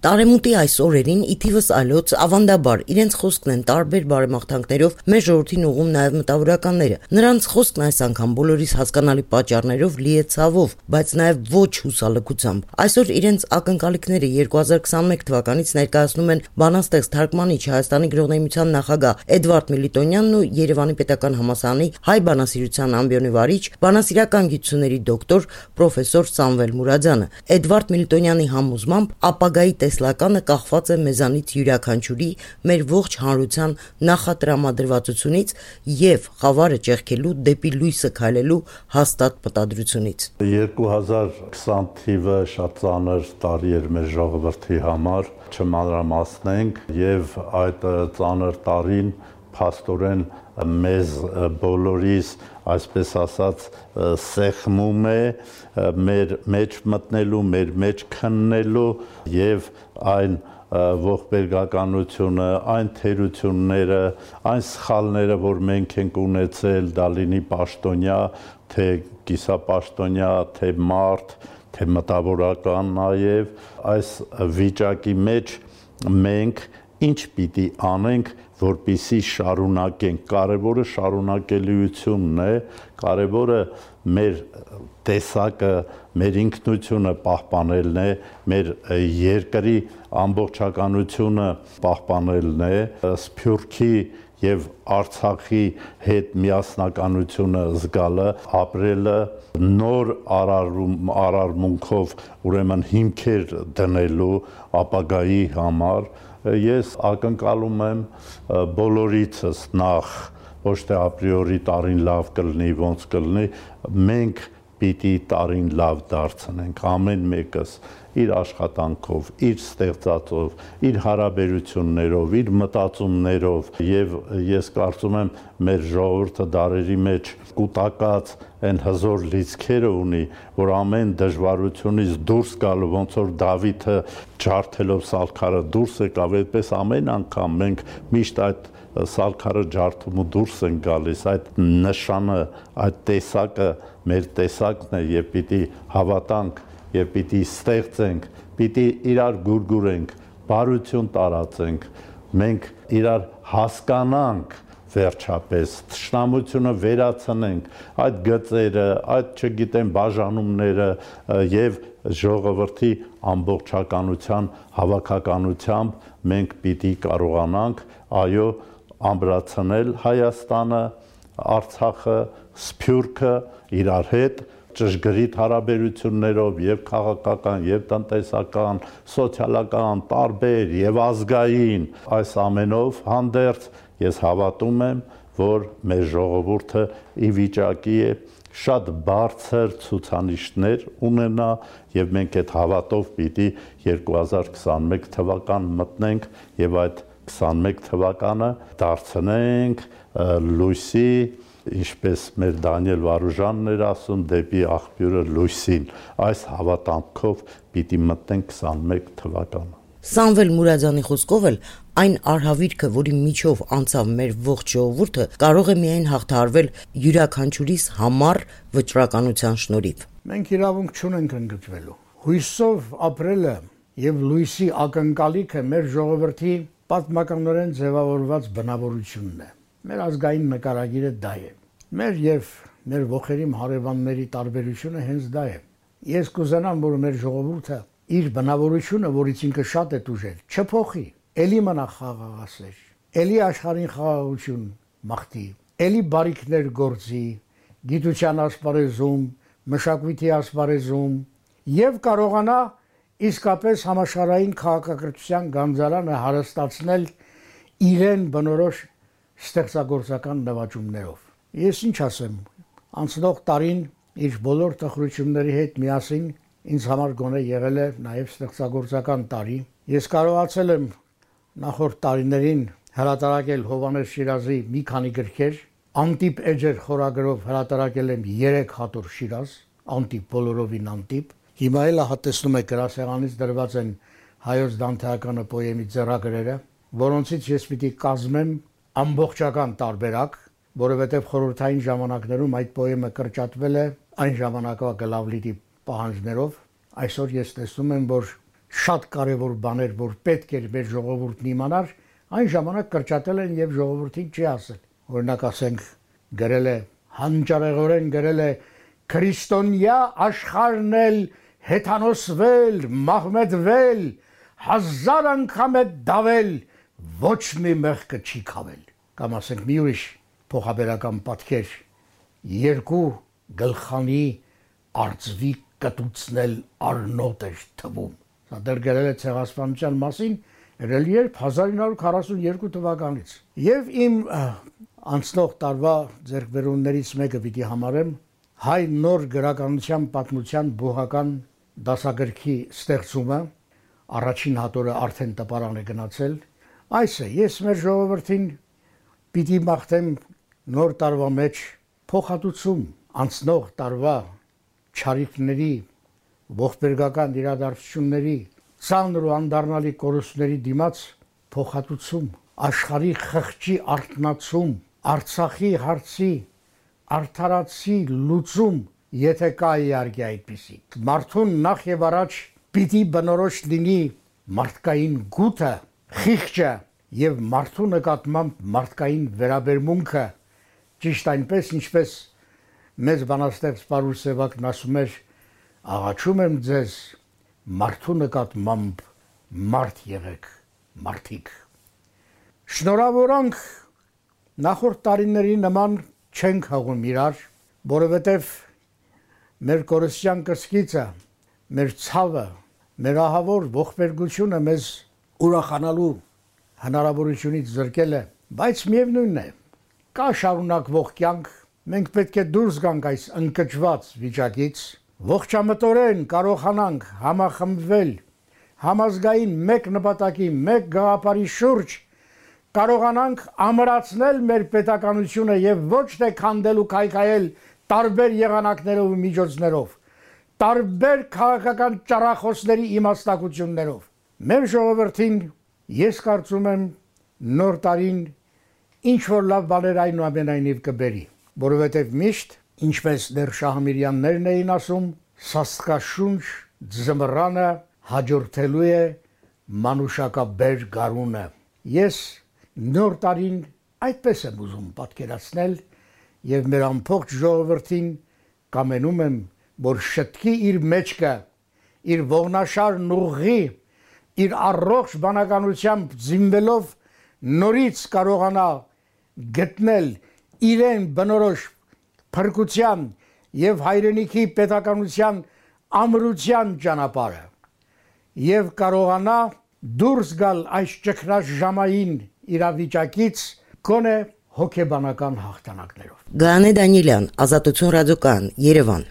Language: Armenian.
Տարեմուտի այս օրերին ի թիվս այլոց ավանդաբար իրենց խոսքն են տարբեր բարեմաղթանքներով մեր ժողովրդին ուղղում նաև մտավորականները։ Նրանց խոսքն այս անգամ բոլորիս հասկանալի պատճառներով լի է ցավով, բայց նաև ոչ հուսալքությամբ։ Այսօր իրենց ակնկալիքները 2021 թվականից ներկայացնում են բանաստեղծ թարգմանիչ Հայաստանի գրողների միության նախագահ Էդվարդ Միլիտոնյանն ու Երևանի պետական համալսարանի հայ բանասիրության ամբիոնի վարիչ, բանասիրական գիտությունների դոկտոր պրոֆեսոր Սամվել Մուրադյանը։ Էդվարդ Միլիտոնյանի համոզմամբ ապագայի տեսլականը կախված է մեզանից յուրաքանչյուրի մեր ողջ հանրության նախատրամադրվածությունից եւ խավարը ճեղքելու դեպի լույսը քայլելու հաստատ մտադրությունից։ 2020 թիվը շատ ծանր տարի էր մեր ժողովրդի համար, չմանրամասնենք, եւ այդ ծանր տարին փաստորեն մեզ բոլորիս, այսպես ասած, սեղմում է մեր մեջ մտնելու, մեր մեջ քննելու եւ այն ողբերգականությունը, այն թերությունները, այն սխալները, որ մենք ենք ունեցել, դա լինի պաշտոնյա, թե կիսապաշտոնյա, թե մարդ, թե մտավորական նաեւ, այս վիճակի մեջ մենք ինչ պիտի անենք, որպեսզի շարունակենք։ Կարևորը շարունակելիությունն է, կարևորը մեր տեսակը, մեր ինքնությունը պահպանելն է, մեր երկրի ամբողջականությունը պահպանելն է, Սփյուռքի եւ Արցախի հետ միասնականությունը զգալը, ապրելը, նոր արարմունքով ուրեմն հիմքեր դնելու ապագայի համար։ Ես ակնկալում եմ բոլորիցս նախ ոչ թե ապրիորի տարին լավ կլինի, ոնց կլինի, մենք պիտի տարին լավ դարձնենք, ամեն մեկս իր աշխատանքով, իր ստեղծածով, իր հարաբերություններով, իր մտածումներով, եւ ես կարծում եմ մեր ժողովուրդը դարերի մեջ կուտակած այն հզոր լիցքերը ունի, որ ամեն դժվարությունից դուրս գալու, ոնց որ Դավիթը ջարդելով սալքարը դուրս եկավ, այդպես ամեն անգամ մենք միշտ այդ սալքարը ջարդում ու դուրս են գալիս, այդ նշանը, այդ տեսակը մեր տեսակն է եւ պիտի հավատանք եւ պիտի ստեղծենք, պիտի իրար գուրգուրենք, բարություն տարածենք, մենք իրար հասկանանք վերջապես, թշնամությունը վերացնենք, այդ գծերը, այդ չգիտեմ բաժանումները եւ ժողովրդի ամբողջականության հավաքականությամբ մենք պիտի կարողանանք, այո, ամրացնել Հայաստանը, Արցախը, Սփյուռքը իրար հետ ճշգրիտ հարաբերություններով եւ քաղաքական, եւ տնտեսական, սոցիալական, տարբեր եւ ազգային, այս ամենով հանդերձ ես հավատում եմ, որ մեր ժողովուրդը ի վիճակի է շատ բարձր ցուցանիշներ ունենա եւ մենք այդ հավատով պիտի 2021 թվական մտնենք եւ այդ 21 թվականը դարձնենք լույսի, ինչպես մեր Դանիել Վարուժանն էր ասում, դեպի աղբյուրը լույսին, այս հավատանքով պիտի մտնենք 21 թվականը։ Սամվել Մուրադյանի խոսքով էլ այն արհավիրքը, որի միջով անցավ մեր ողջ ժողովուրդը, կարող է միայն հաղթահարվել յուրաքանչյուրիս համառ վճռականության շնորհիվ։ Մենք իրավունք չունենք ընկճվելու։ Հույսով ապրելը եւ լույսի ակնկալիքը մեր ժողովրդի պատմականորեն ձևավորված բնավորությունն է։ Մեր ազգային նկարագիրը դա է։ Մեր եւ մեր ողերիմ հարևանների տարբերությունը հենց դա է։ Ես կուզենամ, որ մեր ժողովուրդը իր բնավորությունը, որից ինքը շատ է տուժել, չփոխի, էլի մնա խաղաղասեր, էլի աշխարհին խաղաղություն մաղթի, էլի բարիքներ գործի, գիտության ասպարեզում, մշակույթի ասպարեզում եւ կարողանա իսկապես համաշխարհային քաղաքակրթության գանձարանը հարստացնել իրեն բնորոշ ստեղծագործական նվաճումներով։ Ես ինչ ասեմ, անցնող տարին իր բոլոր տխրությունների հետ միասին ինձ համար գոնե եղել է նաև ստեղծագործական տարի։ Ես կարողացել եմ նախորդ տարիներին հրատարակել Հովհաննես Շիրազի մի քանի գրքեր, Անտիպ էջեր խորագրով հրատարակել եմ 3 հատոր Շիրազ, անտիպ բոլորովին անտիպ։ Հիմա էլ հատեցնում եք գրասեղանից դրված են հայոց դանթեականը պոեմի ձեռագրերը, որոնցից ես պիտի կազմեմ ամբողջական տարբերակ, որովհետև խորհրդային ժամանակներում այդ պոեմը կրճատվել է այն ժամանակվա գլավլիտի պահանջներով։ Այսօր ես տեսնում եմ, որ շատ կարևոր բաներ, որ պետք էր մեր ժողովուրդն իմանար, այն ժամանակ կրճատել են եւ ժողովրդին չի ասել։ Օրինակ ասենք գրել է հանճարեղորեն գրել է քրիստոնյա աշխարհն էլ հեթանոսվել, մահմեդվել, 1000 անգամ է դավել, ոչ մի մեղքը չի քավել։ Կամ ասենք մի ուրիշ փոխաբերական պատկեր, երկու գլխանի արծվի կտուցնել առնոտ էր թվում։ Սա դեռ գրել է ցեղասպանության մասին, երևի 1942 թվականից։ Եվ իմ անցնող տարվա ձեռքբերումներից մեկը պիտի համարեմ հայ նոր գրականության պատմության բուհական դասագրքի ստեղծումը, առաջին հատորը արդեն տպարան է գնացել։ Այս է, ես մեր ժողովրդին պիտի մաղթեմ նոր տարվա մեջ փոխհատուցում անցնող տարվա չարիքների, ողբերգական իրադարձությունների, ծանր ու անդառնալի կորուստների դիմաց փոխհատուցում, աշխարհի խղճի արթնացում, Արցախի հարցի արդարացի լուծում, եթե կա իհարկե այդպիսի։ Մարդուն նախ եւ առաջ պիտի բնորոշ լինի մարդկային գութը, խիղճը եւ մարդու նկատմամբ մարդկային վերաբերմունքը, ճիշտ այնպես ինչպես մեծ բանաստեղծ Պարուս Սևակն ասում էր, աղաչում եմ ձեզ մարդու նկատմամբ մարդ եղեք, մարդիկ։ Շնորհավորանք նախորդ տարիների նման չենք հաղում իրար, որովհետև մեր կորստյան կրսկիցը, մեր ցավը, մեր ահավոր ողբերգությունը մեզ ուրախանալու հնարավորությունից զրկել է, բայց միևնույնն է, կա շարունակվող կյանք, մենք պետք է դուրս գանք այս ընկճված վիճակից, ողջամտորեն կարողանանք համախմբվել համազգային մեկ նպատակի, մեկ գաղափարի շուրջ, կարողանանք ամրացնել մեր պետականությունը եւ ոչ թե քանդել ու քայքայել տարբեր եղանակներով ու միջոցներով, տարբեր քաղաքական ճառախոսների իմաստակություններով։ Մեր ժողովրդին ես կարծում եմ նոր տարին ինչ որ լավ բաներ այնուամենայնիվ կբերի, որովհետև միշտ, ինչպես դեռ Շահամիրյաններն էին ասում, սաստկաշունչ ձմռանը հաջորդելու է մանուշակաբեր գարունը։ Ես նոր տարին այդպես եմ ուզում պատկերացնել եւ մեր ամբողջ ժողովրդին կամենում եմ, որ շտկի իր մեջքը, իր ողնաշար նուղի, իր առողջ բանականությամբ զինվելով նորից կարողանա գտնել իրեն բնորոշ փրկության եւ հայրենիքի պետականության ամրության ճանապարհը եւ կարողանա դուրս գալ այս ճգնաժամային իրավիճակից գոնե հոգեբանական հաղթանակներով։ Գաներ Դանիելյան, Ազատություն ռադիոկայան, Երևան։